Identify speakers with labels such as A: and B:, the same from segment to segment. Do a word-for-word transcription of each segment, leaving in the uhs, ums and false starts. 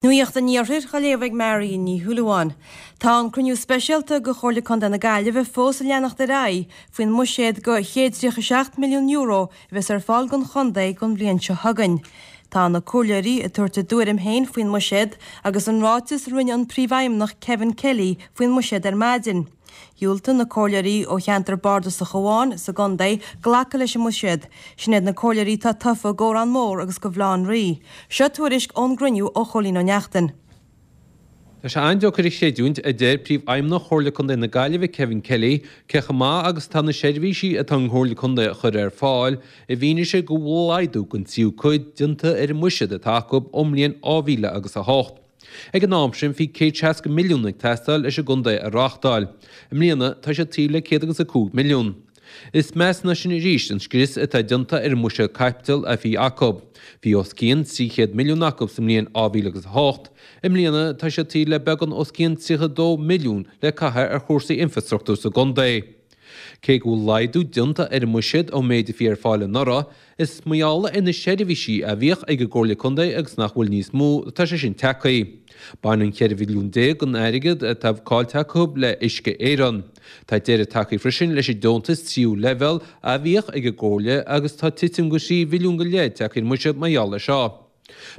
A: Nuacht an Iarthair á léamh ag Marion Ní Shúilleabháin. Tá an cruinniú speisialta de Chomhairle Contae na Gaillimhe fós ag leanacht ar aghaidh faoin mbuiséad de chéad tríocha seacht milliún euro a bheas ar fáil don chontae don bhliain seo chugainn. Tá na comhairleoirí ag tabhairt a dtuairim féin faoin mbuiséad agus an ráiteas a rinne an príomhfheidhmeannach Kevin Kelly faoin mbuiséad ar maidin. Dhiúltaigh na comhairleoirí ó cheantar bardasach amháin sa gcontae glacadh leis an mbuiséad. Sin iad na comhairleoirí atá tofa d'Órán Mór agus do Bhaile Átha an Rí. Seo tuairisc ón gcruinniú ó Chóilín Ó Neachtain.
B: Tá sé an-deacair a chreidiúint, a deir Príomhfheidhmeannach Chomhairle Contae na Gaillimhe Kevin Kelly, cé chomh maith agus atá na seirbhísí atá an Chomhairle Contae a chur ar fáil, i bhfianaise go bhfuil laghdú den tríú cuid déanta ar an mbuiséad atá acu ón mbliain dhá mhíle agus a hocht. Ag an am sin bhí céad seasca milliún ag teastáil leis an gcontae a reáchtáil. I mbliana tá siad taobh le céad agus a cúig milliún. Is measa ná sin arís an scrios atá déanta ar an mbuiséad caipitil a bhí acu. Bhí os cionn trí chéad milliún acu sa mbliain dhá mhíle agus a hocht. I mbliana tá siad taobh le beagán os cionn tríocha dó milliún le caitheamh ar chúrsaí infreastruchtúir sa gcontae. Cé go bhfuil laghdú déanta ar an mbuiséad ón méid a bhí ar fáil anuraidh, is mar gheall ar na seirbhísí a bhíodh ag an gComhairle Contae agus nach bhfuil níos mó atá sé sin tagtha. Baineann ceithre mhilliún déag den airgead atá caillte acu le Uisce Éireann. Tá deireadh tagtha freisin leis an deontas tríú leibhéal a bhíodh ag an gComhairle agus tá titim de thrí mhilliún go leith tagtha ar an mbuiséad mar gheall air seo.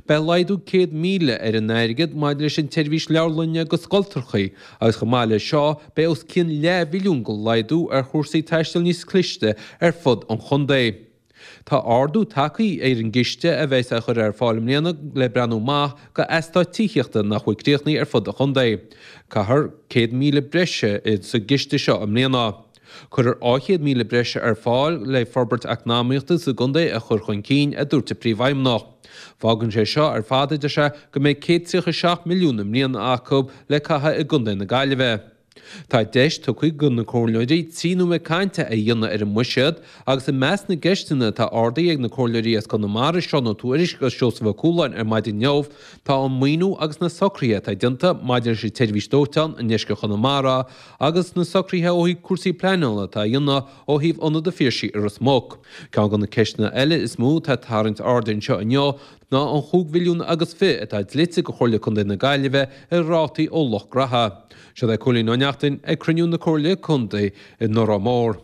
B: Beidh laghdú céad míle ar an airgead maidir leis an tseirbhís leabharlainne go scoltrachaí agus chomh maith leis seo beidh os cionn leathmhilliún de laghdú ar chúrsaí taistil níos cliste ar fud an chontae. Tá ardú tagtha ar an gciste a bheas á chur ar fáil i mbliana le breathnú amach go eastáit tithíochta nach bhfuil críochnaithe ar fud an chontae. Caithfear céad míle breise sa gciste seo i mbliana. Cuirfear dhá chéad míle breise ar fáil le forbairt eacnamaíochta sa gcontae a chur chun cinn, a dúirt an Príomhfheidhmeannach. Fágann sé seo ar fad, a deir sé, go mbeidh céad tríocha seacht milliún i mbliana acu le caitheamh i gcontae na Gaillimhe. Tá deis tugtha do na comhairleoirí trí nóiméad cainte a dhéanamh ar an mbuiséad agus i measc na gceisteanna atá ardaithe ag na comhairleoirí as Conamara, Seán Ó Tuairisg agus Seosamh Ó Cualáin ar maidin inniu, tá an maoiniú agus na socruithe atá déanta maidir leis an tseirbhís dóiteáin i ndeisceart Chonamara agus na socruithe ó thaobh cúrsaí pleanála atá á dhéanamh ó thaobh Ionad an Phiarsaigh i Ros Muc. Ceann de na ceisteanna eile is mó atá ag tarraingt airde anseo inniu ná an chúig mhilliún agus fiche atá dlite do Chomhairle Contae na Gaillimhe i rátaí ó Loch Graithe. Seo é Cóilín Ó Neachtain ag cruinniú na Comhairle Contae i nÓrán Mór.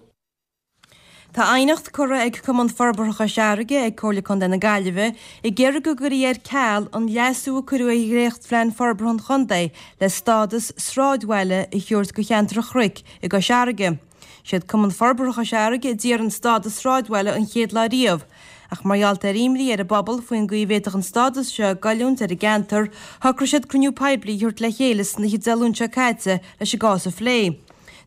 A: Tá aighneacht curtha ag Cumann Forbartha Chois Fharraige ag Comhairle Contae na Gaillimhe ag iarraidh go gcuirfí ar ceal an leasú a cuireadh ar dhréachtphlean forbartha an chontae le stádas sráidbhaile a thabhairt do cheantar an Chnoic i gCois Fharraige. Siad Cumann Forbartha Chois Fharraige a d'iarr an stádas sráidbhaile an chéad lá riamh. Ach mar gheall ar imní ar an bpobal faoin gcaoi a bhféadfadh an stádas seo goilliúint ar an gceantar, shocraigh siad cruinniú poiblí a thabhairt le chéile san oíche Dé Luain seo caite leis an gcás a phlé.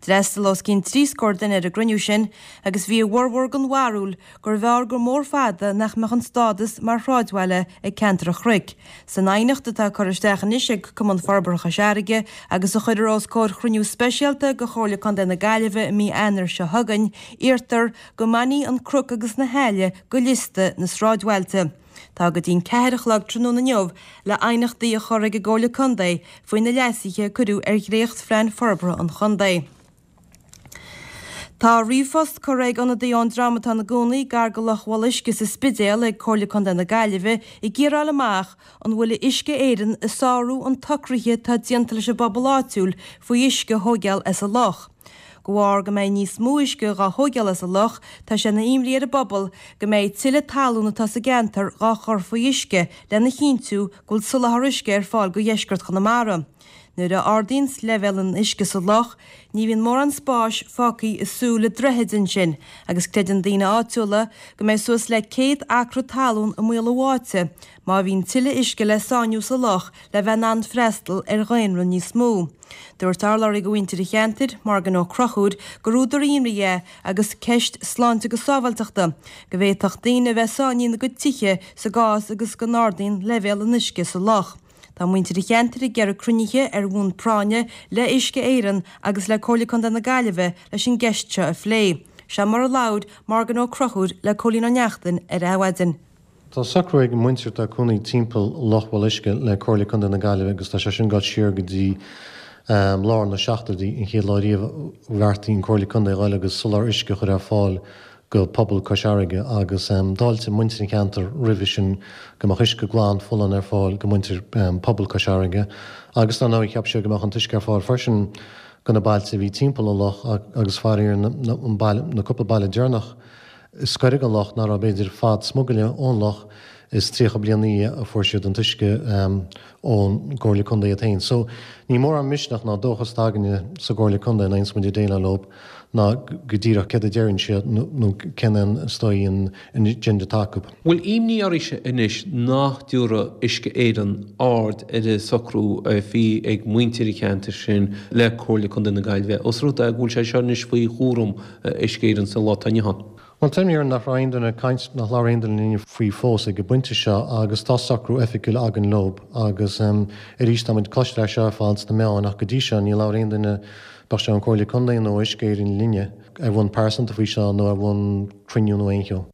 A: D'fhreastail os cionn trí scór duine ar an gcruinniú sin agus bhí a bhformhór den bharúil gurbh fhearr gur mór fada nach mbeadh an stádas mar shráidbhaile ag ceantar an Chnoic. San aighneacht atá curtha isteach anois ag Cumann Forbartha Chois Fharraige agus a chuirfear os comhair chruinniú speisialta de Chomhairle Contae na Gaillimhe i mí Eanáir seo chugainn, iarrtar go mbainfí an Cnoc agus na hAille de liosta na sráidbhailte. Tá go dtí'n ceathair a chlog tráthnóna inniu le aighneachtaí a chur ag an gComhairle Contae faoi na leasuithe a cuireadh ar dhréachtphlean forbartha an chontae. Tá ríomhphost curtha ag ionadaí ón dream atá ina gcónaí gar go Loch Bholuisce sa Spidéal ag Comhairle Contae na Gaillimhe ag iarraidh a fháil amach an bhfuil Uisce Éireann ag sárú an tsocraithe atá déanta leis an bpobal áitiúil faoi uisce a thóigeáil as an loch. De bharr go mbeidh níos mó uisce dhá thóigeáil as an loch, tá sé ina imní ar an bpobal go mbeidh tuilleadh talún atá sa gceantar dhá chur faoi uisce lena chinntiú go bhfuil soláthar uisce ar fáil go dheisceart Chonamara. Nuair a ardaíonns leibhéal an uisce sa loch, ní bhíonn mórán spáis fágtha i súil an droichid ansin agus creideann daoine áitiúla go mbeidh suas le céad acra talún i mbaol a bháite má bhíonn tuilleadh uisce le sáinniú sa loch le bheith in ann freastal ar dhaonra níos mó. Dúirt urlabhraí do mhuintir an cheantair, Morgan Ó Conchúir, gur údar imní é agus ceist sláinte agus sábháilteachta, go bhféadfadh daoine a bheith sáinnithe ina gcuid tithe sa gcás agus go n-ardaíonn leibhéal an uisce sa loch. Tá muintir an cheantair ag iarraidh cruinnithe ar bhonn práinne le Uisce Éireann agus le Comhairle Contae na Gaillimhe leis an gceist seo a phlé. Seo mar a labhair Morgan Ó Conchúir le Cóilín Ó Neachtain ar Adhmhaidin.
C: Tá socrú ag muintir atá ina gcónaí timpeall Loch Bholuisce le Comhairle Contae na Gaillimhe agus tá sé sin ag dul siar go dtí lár na seachtóidí, an chéad lá riamh a bheartaigh an Comhairle Contae a dhul agus soláthar uisce a chur ar fáil go pobal Chois Fharraige agus d'fháiltigh muintir an cheantair roimhe sin go mbeadh uisce glan folláin ar fáil go muintir pobal Chois Fharraige agus dar ndóigh cheap siad go mbeadh an t-uisce ar fáil freisin go na bailte a bhí timpeall an loch agus faraor an baile na cúpla baile deireanach is gaire don loch nach raibh b'fhéidir fad smugairle ón loch is tríocha bliain a fuair siad an t-uisce ón gComhairle Contae iad féin. So ní mórán misneach ná dóchas atá againne sa gComhairle Contae ná aon muid ag déileáil leo ná go díreach céard a deireann siad nó cén an is dóigh an agenda atá acu.
B: Bhfuil imní oraibhse anois nach dtabharfaidh Uisce Éireann aird ar an socrú a bhí ag muintir an cheantair sin le Comhairle Contae na Gaillimhe, os rud é go bhfuil sé seo anois faoi chúram Uisce Éireann sa lá atá inniu ann?
C: Well tá imní orainn nach raibh aon duine ag caint nach labhair aon duine linn faoi fós ag an bpointe seo agus tá socrú oifigiúil againn leo agus arís tá muid cloisteáil é seo ar fad sna meáin ach go dtí seo ní labhair aon duine bíodh sé an Comhairle Contae nó Uisce Éireann linne ar bhonn pearsanta faoi seo nó ar bhonn cruinniú nó aon cheo.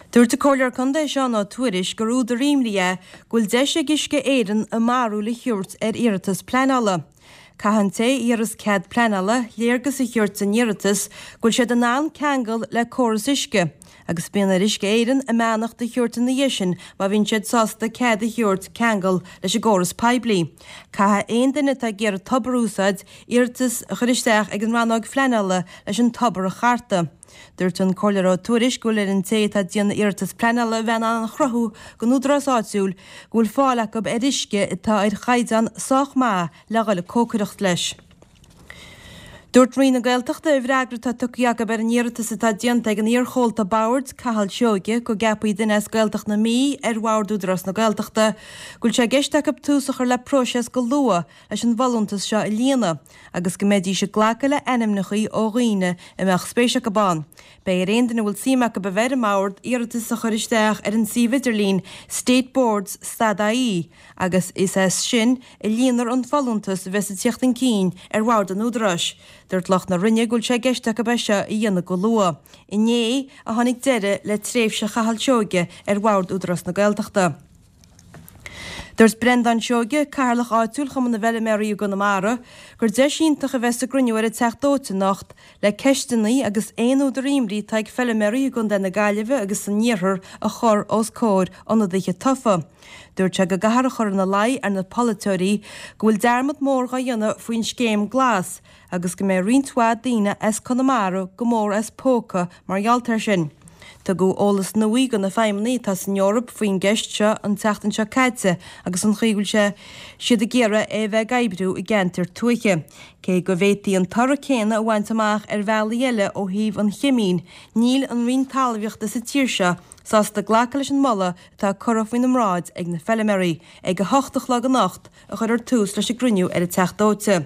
A: Dúirt an Comhairleoir Contae Seán Ó Tuairisg gur údar imní é go bhfuil deis ag Uisce Éireann a mbarúil a thabhairt ar iarratas pleanála. Caithfidh an té a iarras cead pleanála léargas a thabhairt san iarratas go bhfuil siad in ann ceangal le córas uisce, agus bíonn ar Uisce Éireann a mbeannacht a thabhairt ina dhiaidh sin má bhíonn siad sásta cead a thabhairt ceangal leis an gcóras poiblí. Caithfidh aon duine atá ag iarraidh tobar a úsáid iarratas a chur isteach ag an rannóg phleanála leis an tobar a chartadh. Dúirt an Comhairleoir Ó Tuairisg go bhfuil ar an té atá ag déanamh iarratas pleanála a bheith in ann a chruthú don údarás áitiúil go bhfuil fáil acu ar uisce atá ar chaighdeán sách maith le dhul ag cócaireacht leis. Dúirt Roinn na Gaeltachta i bhfreagra atá tugtha acu ar an iarratas atá déanta ag an iarchomhalta boird Cathal Seoige go gceapfaí duine as Gaeltacht na Mí ar bhord Údarás na Gaeltachta go bhfuil sé i gceist acu tús a chur le próiseas go luath leis an bhfolúntas seo a líonadh agus go mbeidís ag glacadh le ainmneacha ó dhaoine a mbeadh spéis acu ann. Beidh ar aon duine a bhfuil suim acu a bheith ar an mbord iarratas a chur isteach ar an suíomh idirlín stateboards stad ie agus is as sin a líonfar an folúntas a bheas ag teacht chun cinn ar bhord an Údaráis. Dúirt lucht na Roinne go bhfuil sé i gceist acu é seo a dhéanamh go luath. Inné a tháinig deireadh le tréimhse Chathail Seoige ar bhord Údarás na Gaeltachta. Dúirt Breandán Seoige, cathaoirleach áitiúil Chumann na bhFeilméaraí i gConamara, gur deis iontach a bheas sa gcruinniú ar an Teach Dóite anocht le ceisteanna agus aon údar imní atá ag feilméaraí i gContae na Gaillimhe agus san iarthar a chur os comhair ionadaithe tofa. Dúirt sé go gcaithfear a chur ina luí ar na polaiteoirí go bhfuil dearmad mór dhá dhéanamh faoin scéim glas agus go mbeidh roinnt mhaith daoine as Conamara go mór as póca mar gheall air sin. Tugadh eolas nua do na feidhmeannaigh atá san Eoraip faoin gceist seo an tseachtain seo caite agus an chaoi go bhfuil sé siad ag iarraidh é a bheith ag oibriú i gceantair tuaithe. Cé go bhféadfaí an toradh céanna a bhaint amach ar bhealaí eile ó thaobh an chimín, níl an Roinn Talmhaíochta sa tír seo sásta glacadh leis an moladh atá curtha faoina mbráid ag na feilméaraí. Ag a hocht a chlog anocht a chuirfear tús leis an gcruinniú ar an Teach Dóite.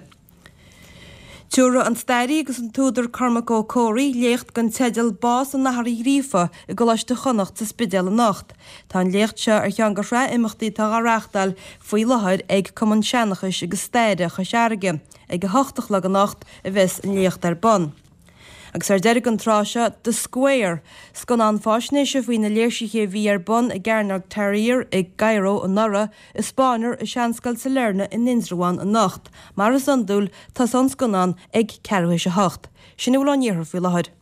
A: Tabharfaidh an staraí agus an t-údar Cormac Ó Comhraí léacht den teideal Bás an Athar Uí Ghríofa i gColáiste Chonnacht sa Spidéal anocht. Tá an léacht seo ar cheann de shraith imeachtaí atá á reáchtáil faoi láthair ag Cumann Seanchais agus Staire Chois Fharraige. Ag a hocht a chlog anocht a bheas an léacht ar bun. Agus ar deireadh an tráth seo, The Square, scannán faisnéise faoi na léirsithe a bhí ar bun i gCearnóg Tahrir i gCairo anuraidh, a spáinfear i Seanscoil Sailearna in Indreabhán anocht. Mar is iondúil, tosóidh an scannán ag ceathrú théis a hocht. Sin a bhfuil ón iarthar faoi láthair.